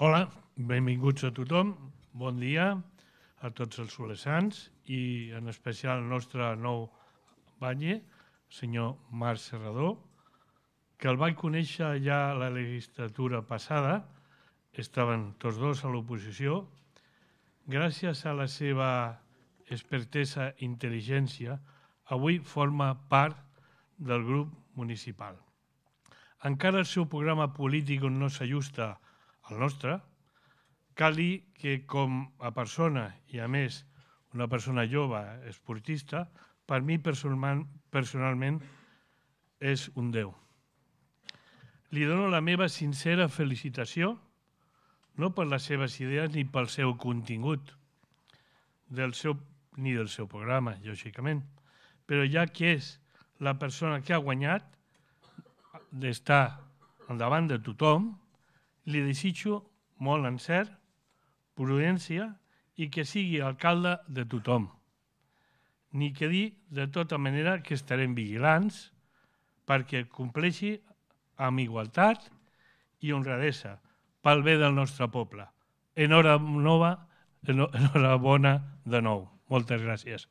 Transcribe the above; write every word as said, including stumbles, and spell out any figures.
Hola, benvinguts a tothom, bon dia a tots els solesans i en especial al nostre nou batlle, el senyor Marc Serrador, que el vaig conèixer ja a la legislatura passada, estaven tots dos a l'oposició. Gràcies a la seva expertesa i intel·ligència, avui forma part del grup municipal. Encara el seu programa polític no s'ajusta al nostre, cal dir que com a persona, i a més una persona jove, esportista, per mi personalment és un déu. Li dono la meva sincera felicitació, no per les seves idees ni pel seu contingut, del seu, ni del seu programa, lògicament, però ja que és la persona que ha guanyat d'estar davant de tothom, li desitjo molt encert, prudència i que sigui alcalde de tothom. Ni que dir, de tota manera, que estarem vigilants perquè compleixi amb igualtat i honradesa pel bé del nostre poble. Enhorabona de nou. Moltes gràcies.